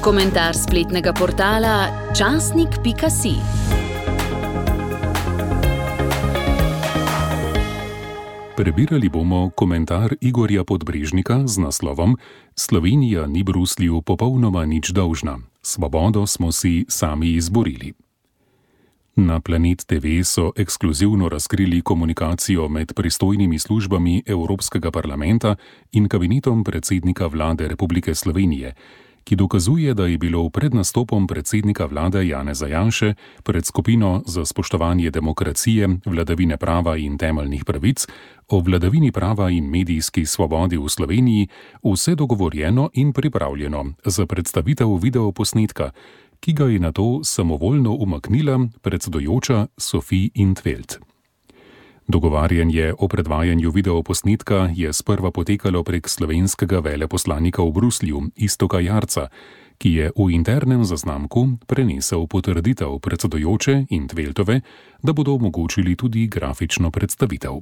Komentar spletnega portala časnik.si. Prebirali bomo komentar Igorja Podbrežnika z naslovom Slovenija ni Bruslju popolnoma nič dolžna. Svobodo smo si sami izborili. Na Planet TV so ekskluzivno razkrili komunikacijo med pristojnimi službami Evropskega parlamenta in kabinetom predsednika vlade Republike Slovenije, ki dokazuje, da je bilo pred nastopom predsednika vlade Janeza Janše pred skupino za spoštovanje demokracije, vladavine prava in temeljnih pravic o vladavini prava in medijski svobodi v Sloveniji vse dogovorjeno in pripravljeno za predstavitev videoposnetka, ki ga je nato samovoljno umaknila predsedujoča Sophie in 't Veld. Dogovarjanje o predvajanju videoposnetka je sprva potekalo prek slovenskega veleposlanika v Bruslju, Iztoka Jarca, ki je v internem zaznamku prenesel potrditev predsedujoče in 't Veldove, da bodo omogočili tudi grafično predstavitev.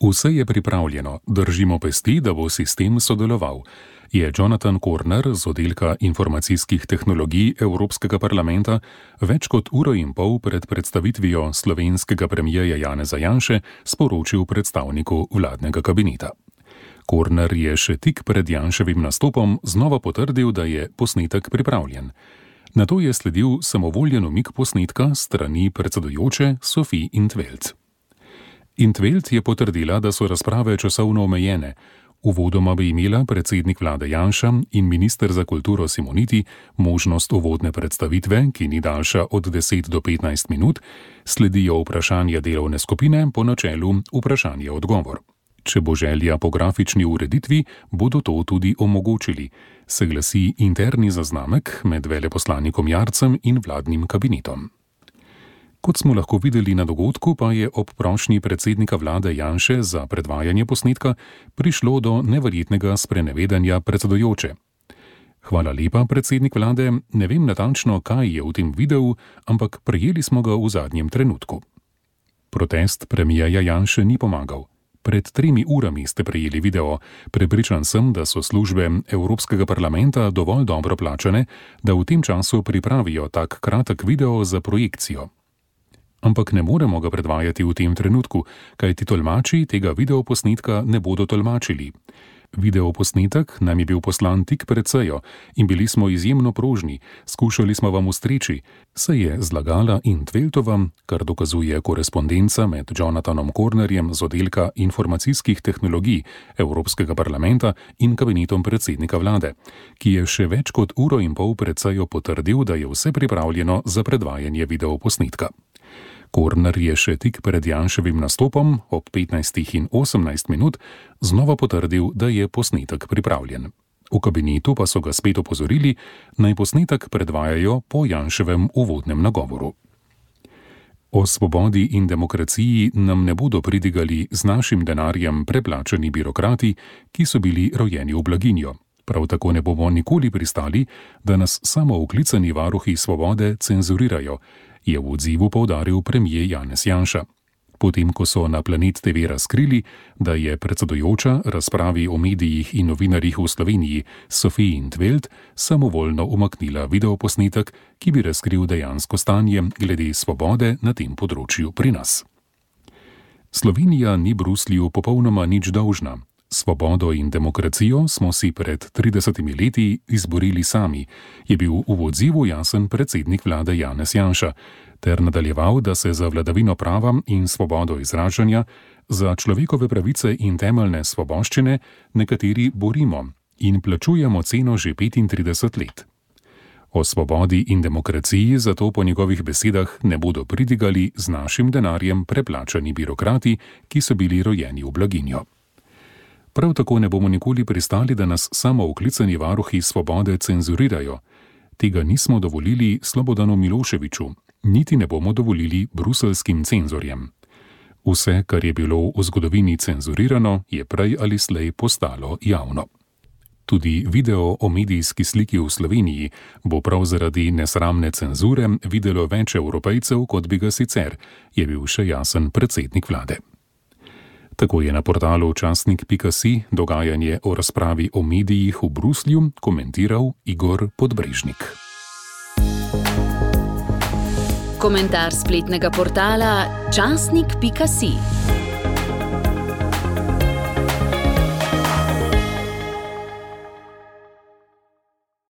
Vse je pripravljeno, držimo pesti, da bo sistem sodeloval, je Jonathan Corner z oddelka informacijskih tehnologij Evropskega parlamenta več kot uro in pol pred predstavitvijo slovenskega premierja Janeza Janše sporočil predstavniku vladnega kabineta. Corner je še tik pred Janševim nastopom znova potrdil, da je posnetek pripravljen. Nato je sledil samovoljen umik posnetka s strani predsedujoče Sophie in 't Veld. In 't Veld je potrdila, da so razprave časovno omejene. Uvodoma bi imela predsednik vlade Janša in minister za kulturo Simoniti možnost uvodne predstavitve, ki ni daljša od 10 do 15 minut, sledijo vprašanja delovne skupine po načelu vprašanje-odgovor. Če bo želja po grafični ureditvi, bodo to tudi omogočili, se glasi interni zaznamek med veleposlanikom Jarcem in vladnim kabinetom. Kot smo lahko videli na dogodku, pa je ob prošnji predsednika vlade Janše za predvajanje posnetka prišlo do neverjetnega sprenevedanja predsedujoče. Hvala lepa, predsednik vlade, ne vem natančno, kaj je v tem videu, ampak prejeli smo ga v zadnjem trenutku. Protest premierja Janše ni pomagal. Pred 3 urami ste prejeli video. Prepričan sem, da so službe Evropskega parlamenta dovolj dobro plačane, da v tem času pripravijo tak kratek video za projekcijo. Ampak ne moremo ga predvajati v tem trenutku, kajti tolmači tega videoposnetka ne bodo tolmačili. Videoposnetek nam je bil poslan tik pred sejo in bili smo izjemno prožni, skušali smo vam ustreči, se je zlagala in 't Veldova, kar dokazuje korespondenca med Jonathanom Cornerjem z oddelka informacijskih tehnologij Evropskega parlamenta in kabinetom predsednika vlade, ki je še več kot uro in pol pred sejo potrdil, da je vse pripravljeno za predvajanje videoposnetka. Corner je še tik pred Janševim nastopom ob 15 in 18 minut znova potrdil, da je posnetek pripravljen. V kabinetu pa so ga spet opozorili, naj posnetek predvajajo po Janševem uvodnem nagovoru. O svobodi in demokraciji nam ne bodo pridigali z našim denarjem preplačani birokrati, ki so bili rojeni v blaginjo. Prav tako ne bomo nikoli pristali, da nas samooklicani varuhi svobode cenzurirajo, je v odzivu poudaril premier Janez Janša. Potem, ko so na Planet TV razkrili, da je predsedujoča razpravi o medijih in novinarjih v Sloveniji Sophie in 't Veld samovoljno umaknila videoposnetek, ki bi razkril dejansko stanje glede svobode na tem področju pri nas. Slovenija ni Bruslju popolnoma nič dolžna. Svobodo in demokracijo smo si pred 30 leti izborili sami, je bil v odzivu jasen predsednik vlade Janez Janša, ter nadaljeval, da se za vladavino prava in svobodo izražanja, za človekove pravice in temeljne svoboščine nekateri borimo in plačujemo ceno že 35 let. O svobodi in demokraciji zato po njegovih besedah ne bodo pridigali z našim denarjem preplačani birokrati, ki so bili rojeni v blaginjo. Prav tako ne bomo nikoli pristali, da nas samooklicani varuhi svobode cenzurirajo. Tega nismo dovolili Slobodanu Miloševiću, niti ne bomo dovolili bruseljskim cenzorjem. Vse, kar je bilo v zgodovini cenzurirano, je prej ali slej postalo javno. Tudi video o medijski sliki v Sloveniji bo prav zaradi nesramne cenzure videlo več Evropejcev, kot bi ga sicer, je bil še jasen predsednik vlade. Tako je na portalu časnik.si dogajanje o razpravi o medijih v Bruslju komentiral Igor Podbrežnik. Komentar spletnega portala časnik.si.